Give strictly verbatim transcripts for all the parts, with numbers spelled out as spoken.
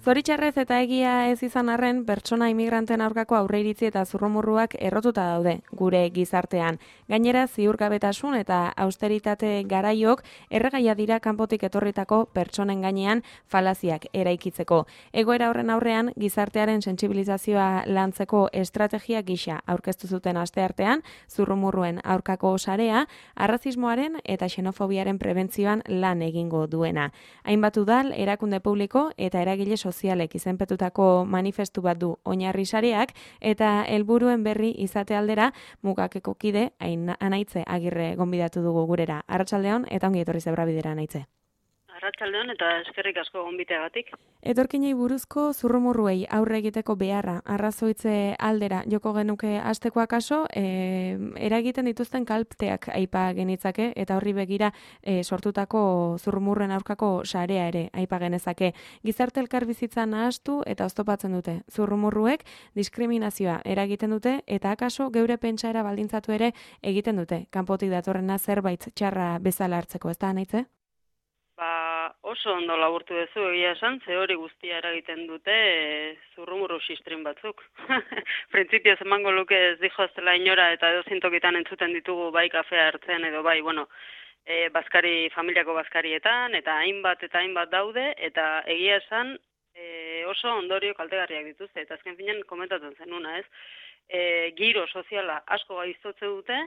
Zoritxarrez eta egia ez izan arren, pertsona imigranten aurkako aurreiritzi eta zurrumurruak errotuta daude gure gizartean. Gainera, ziurgabetasun eta austeritate garaiok erregaia dira kanpotik etorritako pertsonen gainean falaziak eraikitzeko. Egoera horren aurrean, gizartearen sentsibilizazioa lantzeko estrategia gisa aurkeztu zuten asteartean, zurrumurruen aurkako sarea, arrazismoaren eta xenofobiaren prebentzioan lan egingo duena. Hainbat udal, erakunde publiko eta eragile sozialek izenpetutako manifestu bat du oinarri sareak eta helburuen berri izate aldera mugakeko kide Anaitze Agirre gonbidatu dugu gurera. Arratsaldeon eta ongi etorri Zebrabidera, Anaitze. Arratsaldeon eta eskerrik asko gonbiteagatik. Etorkinei buruzko zurrumurruei aurre egiteko beharra arrazoitze aldera joko genuke hasteko akaso, e, eragiten dituzten kalteak aipa genitzake eta horri begira e, sortutako zurrumurruen aurkako sarea ere aipa genezake. Gizarte elkarbizitza nahastu eta oztopatzen dute. Zurrumurruek diskriminazioa eragiten dute eta akaso geure pentsaera baldintzatu ere egiten dute. Kanpotik datorrena zerbait txarra bezala hartzeko, ez da, Anaitze? Ba, oso ondo laburtu duzu egia esan, ze hori guztia eragiten dute e, zurrumurru sistrin batzuk. Printzipioz emango luke ez dijoaztela inora eta edozintokitan entzuten ditugu bai kafea hartzen edo bai, bueno, e, bazkari, familiako bazkarietan eta hainbat eta hainbat daude eta egia esan e, oso ondorio kaltegarriak dituzte eta azken finean komentatzen zenuna, ez? E, giro soziala asko gaiztotze dute,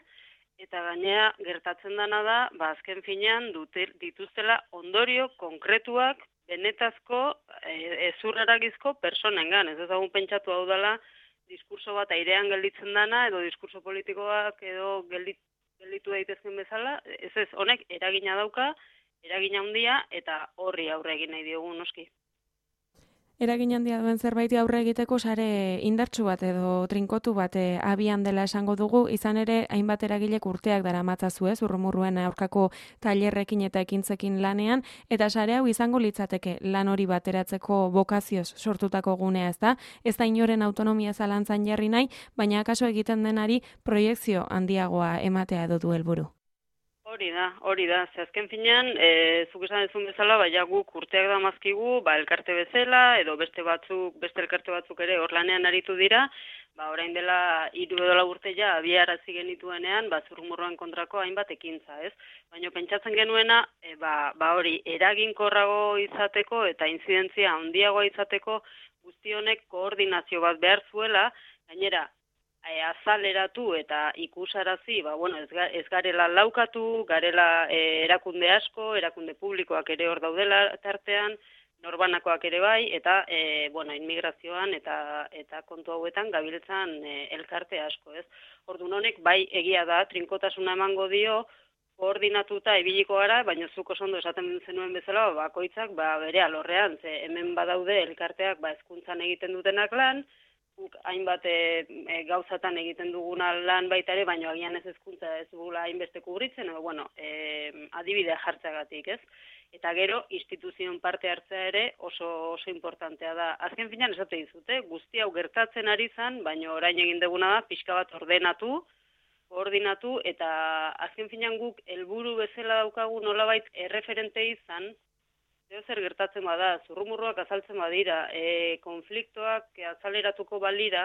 eta gainea gertatzen dana da, ba azken finean dute, dituztela ondorio konkretuak benetazko e, ezurreragizko personengan. Ez ezagun pentsatu hau dela diskurso bat airean gelditzen dana edo diskurso politikoak edo geldit, gelditu daitezken bezala. Ez ez, honek eragina dauka, eragina handia eta horri aurre egin nahi diogu noski. Eragin handia duen zerbait aurre egiteko sare indartsu bat edo trinkotu bat e, abian dela esango dugu, izan ere hainbat eragilek urteak daramatzazue, ez, zurrumurruen aurkako tailerrekin eta ekintzekin lanean, eta sare hau izango litzateke lan hori bateratzeko bokazioz sortutako gunea, ez da? Ez da inoren autonomia zalantzan jarri nahi, baina akaso egiten denari proiekzio handiagoa ematea edo du helburu. Hori da, hori da. Ze azken finean, e, zuk esan dezun bezala, baina guk urteak da mazkigu, ba, elkarte bezala, edo beste batzuk, beste elkarte batzuk ere hor lanean aritu dira, ba, orain dela hiru edo lau urte ja abiarazi genituenean, ba, zurrumurruen kontrako hainbat ekintza, ez? Baina pentsatzen genuena, e, ba, ba hori, eraginkorrago izateko eta intzidentzia handiagoa izateko guzti honek koordinazio bat behar zuela, gainera, E, azaleratu eta ikusarazi, ba, bueno, ez, ga, ez garela laukatu, garela e, erakunde asko, erakunde publikoak ere hor daudela tartean, norbanakoak ere bai, eta e, bueno, inmigrazioan eta eta kontu hauetan gabiltzan e, elkarte asko, ez? Orduan honek bai egia da, trinkotasuna emango dio, koordinatuta ibiliko gara, baina zuk oso ondo esaten zenuen bezala, bakoitzak ba, bere alorrean, ze hemen badaude elkarteak ba, hezkuntzan egiten dutenak lan, hainbat e, e, gauzatan egiten duguna lan baita ere, baina agian ez hezkuntza ez dugula hainbeste kubritzen, edo, bueno, e, adibidea jartzeagatik, ez? Eta gero, instituzioen parte hartzea ere oso oso importantea da. Azken finean esate dizute, guzti hau gertatzen ari zan, baina orain egin duguna da, pixka bat ordenatu, koordinatu, eta azken finean guk helburu bezala daukagu nolabait erreferente izan, Zer zer gertatzen bada, zurrumurruak azaltzen badira, e, konfliktoak azaleratuko balira,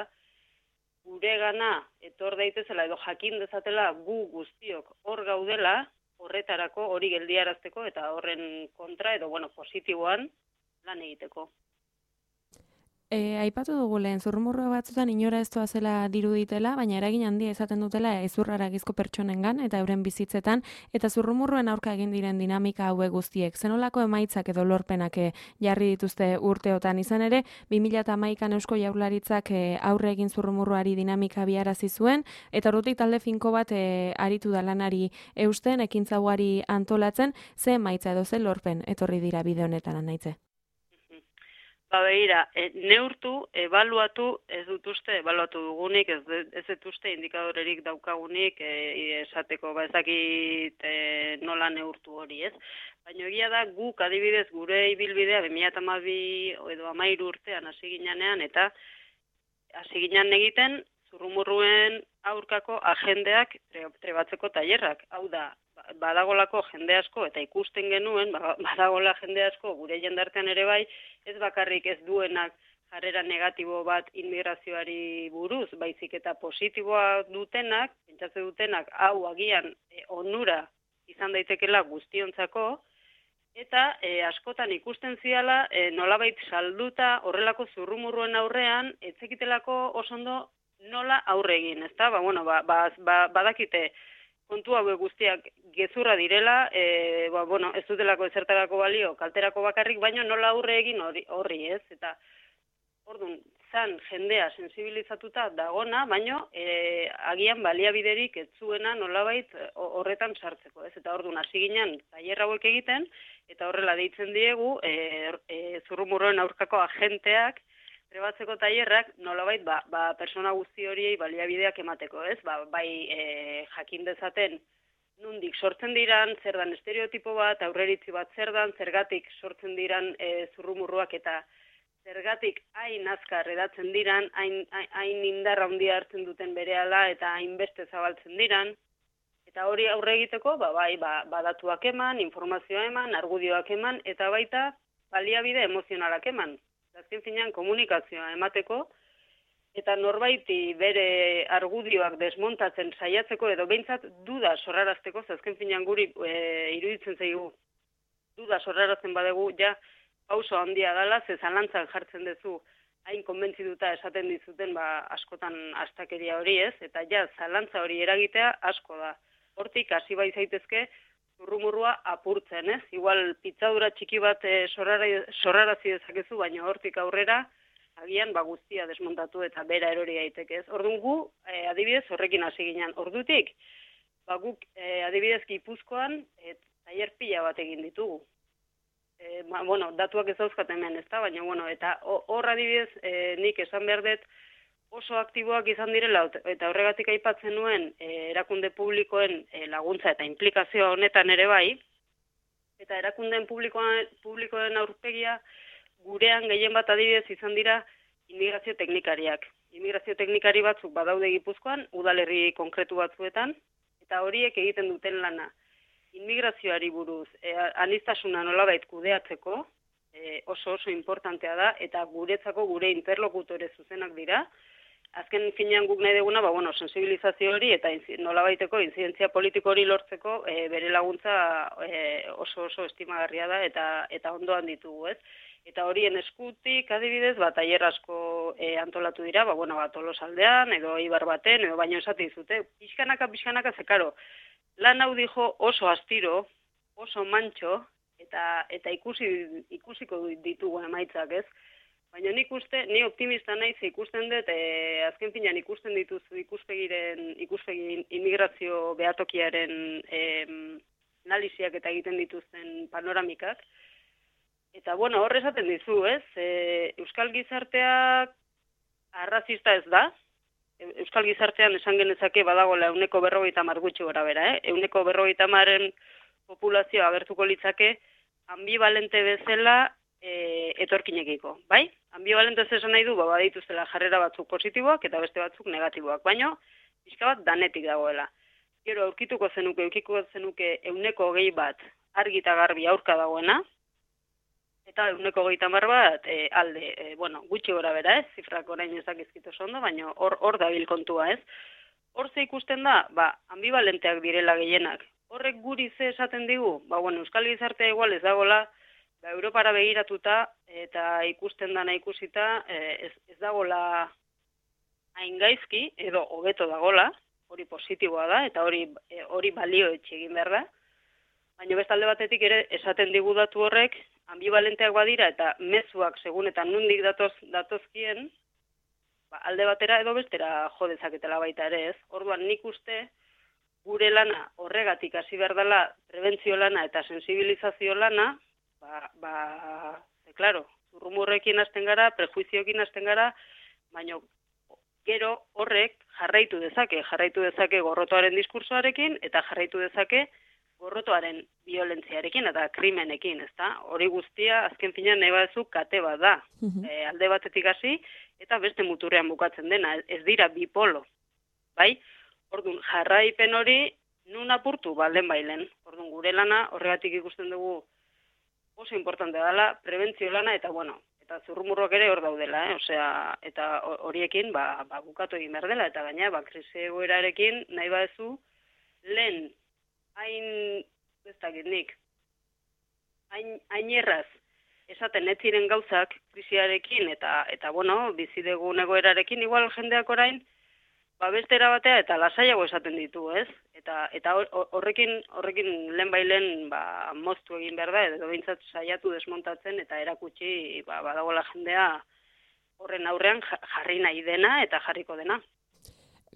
gure gana etor daitezela edo jakin dezatela gu guztiok hor gaudela, horretarako hori geldiarazteko eta horren kontra edo bueno, positiboan lan egiteko. E, aipatu dugu lehen, zurrumurru batzutan inora ez zela diruditela, baina eragin handia izaten dutela ezurraragizko pertsonengan eta euren bizitzetan, eta zurrumurruen aurka egin diren dinamika hauek guztiek. Zenolako emaitzak edo lorpenak jarri dituzte urteotan izan ere, bi mila hamaikan Eusko Jaurlaritzak aurre egin zurrumurruari dinamika biarazi zuen, eta ordutik talde finko bat e, aritu da lanari eusten, ekintza ugari antolatzen, ze emaitza edo ze lorpen etorri dira bide honetan, Anaitze? Ba begira, e, neurtu, ebaluatu, ez dut uste, ebaluatu dugunik, ez, ez dut uste indikadorerik daukagunik, e, esateko, ba ezakit e, nola neurtu hori, ez? Baina egia da, guk adibidez gure ibilbidea, bi mila hamabi edo hamairu urtean hasi ginean, eta hasi ginen egiten, zurrumurruen aurkako agendeak trebatzeko tailerrak. Hau da, ba, badagolako jende asko, eta ikusten genuen, badagola jende asko, gure jendartean ere bai, ez bakarrik ez duenak jarrera negatibo bat immigrazioari buruz, baizik eta positiboa dutenak, pentsatze dutenak, hau agian e, onura izan daitekela guztiontzako, eta e, askotan ikusten ziala, e, nolabait salduta horrelako zurrumurruen aurrean, etzekitelako osondo nola aurre egin, ezta? Ba, bueno, ba, ba, ba, badakite kontu hauek guztiak gezurra direla, e, ba, bueno, ez dutelako ezertarako balio, kalterako bakarrik, baino nola aurre egin horri, horri ez? Eta, orduan, zan jendea sensibilizatuta dagona, baino e, agian baliabiderik ez zuena nolabait horretan sartzeko, ez? Eta orduan, hasi ginen tailer hauek egiten, eta horrela deitzen diegu, e, e, zurrumurroen aurkako agenteak, trebatzeko tailerrak nolabait ba, ba persona guzti horiei baliabideak emateko, ez? Ba, bai e, jakin dezaten nundik sortzen diran, zer dan estereotipo bat, aurreritzi bat zer dan, zergatik sortzen diran e, zurrumurruak eta zergatik hain azkar edatzen diran, hain, hain indarra handia hartzen duten berehala eta hainbeste zabaltzen diran. Eta hori aurre egiteko, ba, bai, ba, badatuak eman, informazioa eman, argudioak eman, eta baita baliabide emozionalak eman. Azken finean komunikazioa emateko, eta norbaiti bere argudioak desmontatzen saiatzeko, edo behintzat duda sorrarazteko, azken finean guri e, iruditzen zaigu duda sorrarazten badegu, ja, pauso handia dela, ze zalantzan jartzen duzu, hain konbentzituta esaten dizuten, ba, askotan astakeria hori ez, eta ja, zalantza hori eragitea asko da. Hortik, hasi bai zaitezke, zurrumurrua apurtzen, ez? Igual pitzadura txiki bat e, sorrarazi dezakezu, baina hortik aurrera, agian ba guztia desmontatu eta bera erori daiteke, ez? Orduan gu, e, adibidez, horrekin hasi ginen. Ordutik, ba guk e, adibidez Gipuzkoan e, tailer pila bat egin ditugu. E, ba, bueno, datuak ez dauzkat hemen, ezta? Baina, bueno, eta hor adibidez, e, nik esan behar dut, oso aktiboak izan direla, eta horregatik aipatzen nuen e, erakunde publikoen e, laguntza eta implikazioa honetan ere bai, eta erakundeen publikoen, publikoen aurpegia gurean gehien bat adibidez izan dira immigrazio teknikariak. Immigrazio teknikari batzuk badaude Gipuzkoan, udalerri konkretu batzuetan, eta horiek egiten duten lana. Immigrazioari buruz, e, aniztasuna nolabait kudeatzeko, e, oso oso importantea da, eta guretzako gure interlokutore zuzenak dira. Azken finean guk nahi duguna, ba, bueno, sensibilizazio hori eta nolabaiteko inzidentzia politiko hori lortzeko e, bere laguntza e, oso oso estimagarria da eta eta ondoan ditugu, ez? Eta horien eskutik, adibidez, ba, tailer asko e, antolatu dira, ba, bueno, ba, Tolosaldean, edo Ibar baten, edo baino esate dizute, pixkanaka, pixkanaka, zekaro, lan hau dijo oso astiro, oso mantxo, eta eta ikusi ikusiko ditugu emaitzak, ez? Baina nik uste, ni optimista naiz ikusten dut, e, azken finean ikusten dituzu ikuspegiren, ikuspegi immigrazio behatokiaren e, analiziak eta egiten dituzten panoramikak. Eta, bueno, hor esaten dizu, ez? E, Euskal gizarteak arrazista ez da. Euskal gizartean esan genezake badagoela euneko berrogeita hamar gutxi gora bera, eh? Euneko berrogeita hamaren populazioa agertuko litzake ambivalente bezala e, etorkinekiko, bai? Ambivalente esan nahi du, ba, badituztela jarrera batzuk positiboak eta beste batzuk negatiboak, baino pixka bat danetik dagoela. Gero aurkituko zenuke, aurkituko zenuke euneko hogei bat argi eta garbi aurka dagoena, eta euneko hogeita hamar bat e, alde, e, bueno, gutxi gora bera, ez? Zifrak orain ezakizkito ondo, baina hor hor dabil kontua, ez? Hor ze ikusten da, ba, ambivalenteak direla gehienak. Horrek guri ze esaten digu, ba, bueno, Euskal gizartea igual ez dagoela, ba, Europara begiratuta eta ikusten dana ikusita ez, ez dagoela hain gaizki edo hobeto dagola, hori positiboa da eta hori hori balio etxe egin behar da. Baina bestalde batetik ere esaten digu datu horrek ambivalenteak badira eta mezuak segun eta nundik datoz datozkien, ba, alde batera edo bestera jo dezaketela baita ere, ez? Orduan nik uste gure lana horregatik hasi behar dela prebentzio lana eta sensibilizazio lana, ba, ba, e, claro, zurrumurrekin hasten gara, prejuizioekin hasten gara, baina gero horrek jarraitu dezake, jarraitu dezake gorrotoaren diskursoarekin eta jarraitu dezake gorrotoaren violentziarekin eta krimenekin, ezta? Hori guztia azken finean nahi baduzu kate bat da. Uh-huh. E, alde batetik hasi eta beste muturrean bukatzen dena, ez dira bipolo. Bai? Orduan, jarraipen hori nun apurtu, ba, lehen bailen. Orduan, gure lana, horregatik ikusten dugu oso importante dela, prebentzio lana, eta bueno, eta zurrumurroak ere hor daudela, eh? Osea, eta horiekin, ba, ba, bukatu egin behar dela, eta gaina, ba, krisi egoerarekin, nahi badezu, lehen, hain, ez dakit nik, hain, hain erraz, esaten ez ziren gauzak krisiarekin, eta, eta bueno, bizidegun egoerarekin, igual jendeak orain, ba, beste erabatea eta lasaiago esaten ditu, ez? Eta eta horrekin horrekin lehen bailen ba, moztu egin behar da, edo behintzat saiatu desmontatzen eta erakutsi ba, badagoela jendea horren aurrean jarri nahi dena eta jarriko dena.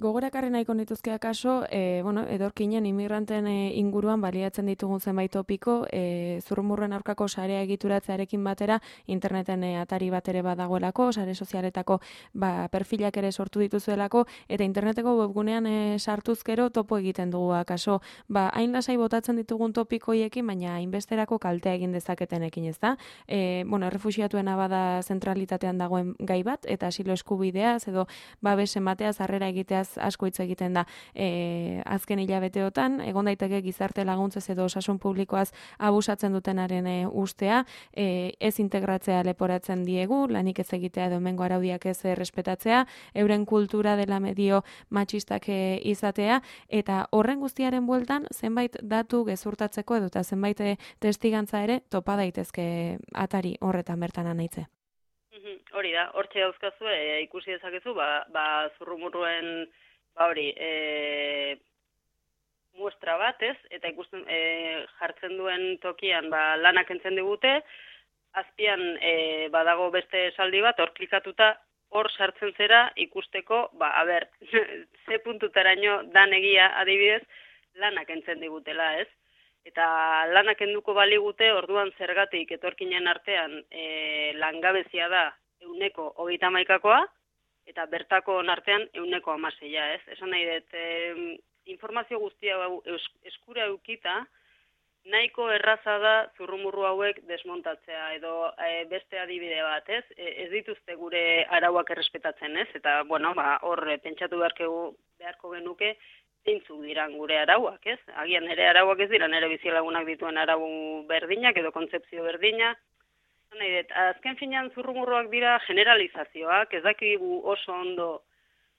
Gogorakarri nahiko nituzke akaso, e, bueno, edorkinen inmigranten e, inguruan baliatzen ditugun zenbait topiko, e, zurrumurren aurkako sarea egituratzearekin batera, interneten e, atari bat ere badagoelako, sare sozialetako ba, perfilak ere sortu dituzuelako, eta interneteko webgunean e, sartuzkero topo egiten dugu akaso. Ba, hain lasai botatzen ditugun topikoiekin, baina hainbesterako kaltea egin dezaketenekin, ez da? E, bueno, errefuxiatuena bada zentralitatean dagoen gai bat, eta asilo eskubideaz, edo babes emateaz, harrera egiteaz asko hitz egiten da e, azken hilabeteotan, egon daiteke gizarte laguntzez edo osasun publikoaz abusatzen dutenaren e, ustea, e, ez integratzea leporatzen diegu, lanik ez egitea edo hemengo araudiak ez errespetatzea, euren kultura dela medio matxistak e, izatea, eta horren guztiaren bueltan zenbait datu gezurtatzeko edo eta zenbait e, testigantza ere topa daitezke atari horretan bertan anaitze. Hori da, hortxe dauzkazu, e, ikusi dezakezu, ba, ba zurrumurruen, ba hori, e, muestra bat, ez? Eta ikusten e, jartzen duen tokian, ba, lanak entzen digute, azpian e, badago beste esaldi bat, hor klikatuta, hor sartzen zera ikusteko, ba, a ber, ze puntutaraino dan egia adibidez, lanak entzen digutela, ez? Eta lanak enduko baligute, orduan zergatik etorkinen artean e, langabezia da euneko hogeita hamaikakoa, eta bertako artean euneko hamaseia, ez? Esan nahi dut, e, informazio guztia eskura eukita, nahiko erraza da zurrumurru hauek desmontatzea, edo e, beste adibide bat, ez? E, ez dituzte gure arauak errespetatzen, ez? Eta, bueno, ba, hor pentsatu beharko, beharko genuke, zeintzuk diran gure arauak, ez? Agian ere arauak ez dira, nire bizilagunak dituen arau berdinak edo kontzepzio berdina. Nahi dut, azken finean zurrumurruak dira generalizazioak, ez dakigu oso ondo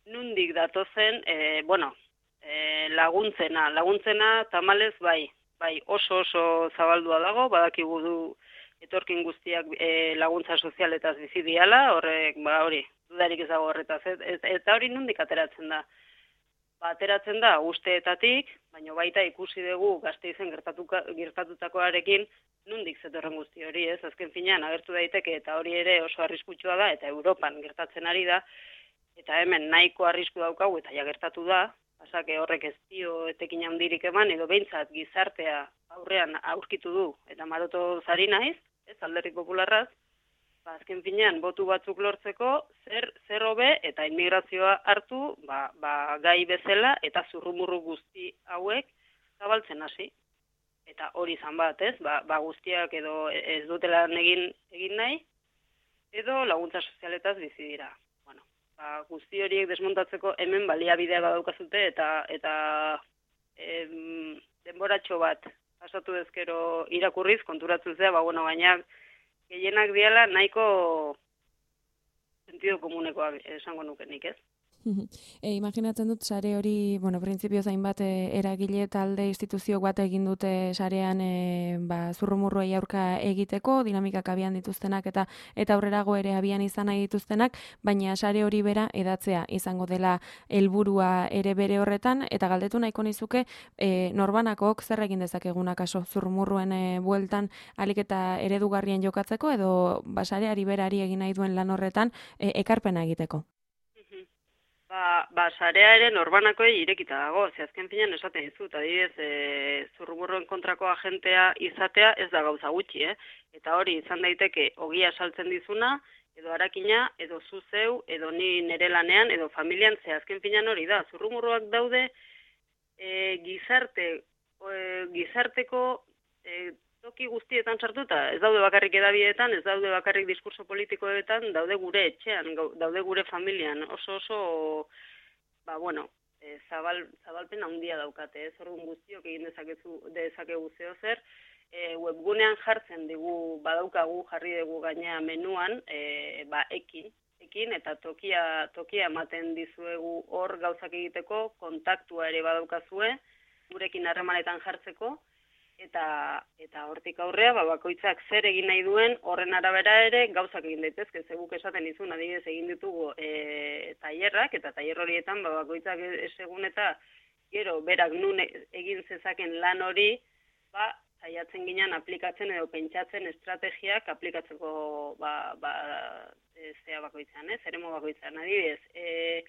nundik datozen, e, bueno, e, laguntzena, laguntzena tamalez bai, bai oso oso zabaldua dago, badakigu du etorkin guztiak e, laguntza sozialetaz bizi diala, horrek, ba hori, dudarik ez dago horretaz, ez, ez, eta hori nundik ateratzen da. Ba, ateratzen da usteetatik, baina baita ikusi dugu Gasteizen gertatutakoarekin nundik zetorren guzti hori, ez? Azken finean agertu daiteke eta hori ere oso arriskutsua da eta Europan gertatzen ari da eta hemen nahiko arrisku daukagu eta ja gertatu da, pasake horrek ez dio etekin handirik eman edo behintzat gizartea aurrean aurkitu du eta maroto zari naiz, ez Alderdi Popularraz. Ba, azken finean, botu batzuk lortzeko, zer, zer hobe eta immigrazioa hartu, ba, ba, gai bezala eta zurrumurru guzti hauek zabaltzen hasi. Eta hori izan bat, ez? Ba, ba guztiak edo ez dutela egin, egin nahi, edo laguntza sozialetaz bizi dira. Bueno, ba, guzti horiek desmontatzeko hemen baliabidea badaukazute eta, eta em, denboratxo bat pasatu ezkero irakurriz, konturatzen zea, ba, bueno, baina gehienak diala nahiko sentido komunekoak esango nukenik, ez? E, imaginatzen dut sare hori, bueno, printzipioz hainbat e, eragile talde instituzioak bat egin dute sarean e, ba, zurrumurruei aurka egiteko, dinamikak abian dituztenak eta eta aurrerago ere abian izan nahi dituztenak, baina sare hori bera edatzea izango dela helburua ere bere horretan, eta galdetu nahiko nizuke e, norbanakok zer egin dezakegunak aso zurrumurruen e, bueltan alik eta eredugarrien jokatzeko edo ba, sareari berari egin nahi duen lan horretan e, ekarpena egiteko. Ba, ba, sarea ere norbanakoei irekita dago, ze azken finean esaten dizut, adibidez, e, zurrumurruen kontrako agentea izatea ez da gauza gutxi, eh? Eta hori izan daiteke ogia saltzen dizuna, edo harakina, edo zuzeu, edo ni nere lanean, edo familian, ze azken finean hori da. Zurrumurruak daude e, gizarte, e, gizarteko e, toki guztietan sartuta, ez daude bakarrik edabietan, ez daude bakarrik diskurso politikoetan, daude gure etxean, daude gure familian, oso oso, ba bueno, e, zabal, zabalpen handia daukate, ez orduan guztiok egin dezakezu, dezakegu zeo zer, e, webgunean jartzen digu, badaukagu, jarri dugu gainea menuan, e, ba, ekin, ekin eta tokia, tokia ematen dizuegu hor gauzak egiteko, kontaktua ere badaukazue, gurekin harremanetan jartzeko, eta eta hortik aurrea ba, bakoitzak zer egin nahi duen horren arabera ere gauzak egin daitezke, ze guk esaten dizun, adibidez egin ditugu e, tailerrak, eta tailer horietan ba, bakoitzak esegun eta gero berak nun egin zezaken lan hori, ba, saiatzen ginen aplikatzen edo pentsatzen estrategiak aplikatzeko ba, ba, e, zea bakoitzan, ez, eremo bakoitzan, adibidez, e,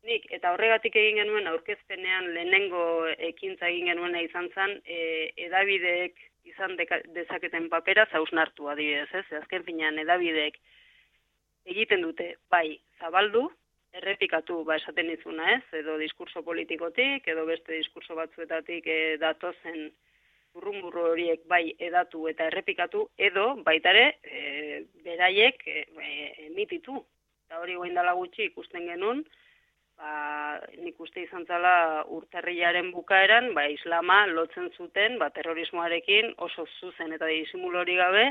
nik, eta horregatik egin genuen aurkezpenean lehenengo ekintza egin genuena izan zen, e, edabideek izan deka, dezaketen papera zausnartu adibidez, ez? Azken finean edabideek egiten dute, bai, zabaldu, errepikatu, ba esaten izuna, ez? Edo diskurso politikotik, edo beste diskurso batzuetatik e, datozen urrunburru horiek bai edatu eta errepikatu, edo baitare e, beraiek e, emititu. Eta hori guain dela gutxi ikusten genuen, ba, nik uste izan zala urtarrilaren bukaeran, ba, islama lotzen zuten, ba, terrorismoarekin oso zuzen eta disimulo hori gabe,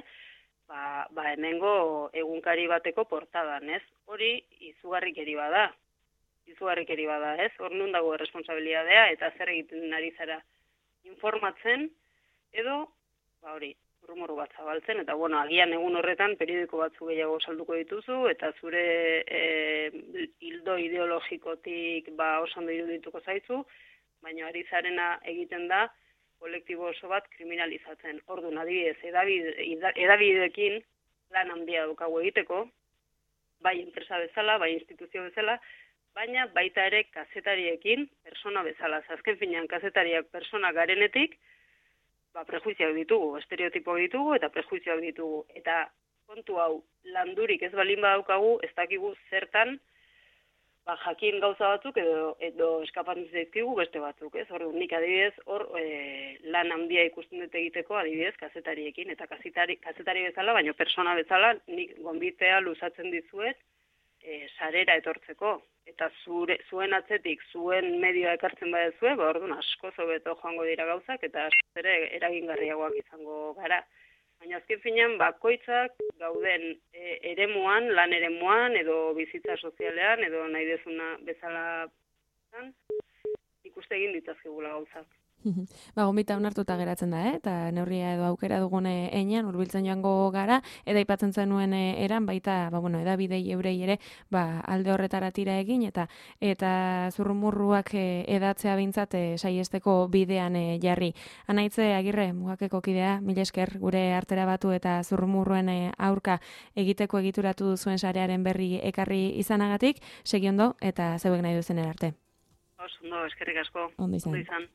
ba, ba, hemengo egunkari bateko portadan, ez? Hori izugarrikeri bada, izugarrikeri bada, ez? Hor nun dago responsabilidadea eta zer egiten ari zara informatzen, edo, ba, hori, rumoro bat zabaltzen, eta, bueno, agian egun horretan periodiko batzu gehiago salduko dituzu, eta zure e, hildo ideologikotik ba, oso ondo irudituko zaizu, baina ari zarena egiten da kolektibo oso bat kriminalizatzen. Orduan, adibidez, edabide, edabideekin lan handia daukagu egiteko, bai enpresa bezala, bai instituzio bezala, baina baita ere kazetariekin persona bezala. Azken finean, kazetariak persona garenetik, ba, prejuizioak ditugu, estereotipoak ditugu eta prejuizioak ditugu. Eta kontu hau, landurik ez balin badaukagu, ez dakigu zertan, ba, jakin gauza batzuk edo, edo eskapatzen zaizkigu beste batzuk, ez? Hor, nik adibidez, hor e, lan handia ikusten dut egiteko adibidez kazetariekin, eta kazetari, kazetari bezala, baina persona bezala, nik gonbitea luzatzen dizuet, e, sarera etortzeko. Eta zure, zuen atzetik, zuen medioa ekartzen badezue, ba, orduan asko zobeto joango dira gauzak, eta asko ere eragingarriagoak izango gara. Baina azken finean, bakoitzak gauden e, eremuan, lan eremuan, edo bizitza sozialean, edo nahi dezuna bezala ikuste egin ditazkegula gauzak. Ba, gonbita onartuta geratzen da, eh? Eta neurria edo aukera dugune enean hurbiltzen joango gara, eta aipatzen zenuen eran baita, ba, bueno, edabidei eurei ere, ba, alde horretara tira egin, eta eta zurrumurruak edatzea behintzat e, saiesteko bidean e, jarri. Anaitze Agirre, Mugakeko kidea, mila esker gure artera batu eta zurrumurruen e, aurka egiteko egituratu duzuen sarearen berri ekarri izanagatik, segi ondo eta zeuek nahi duzen arte. Oso ondo, eskerrik asko. Ondo izan. Ondo izan.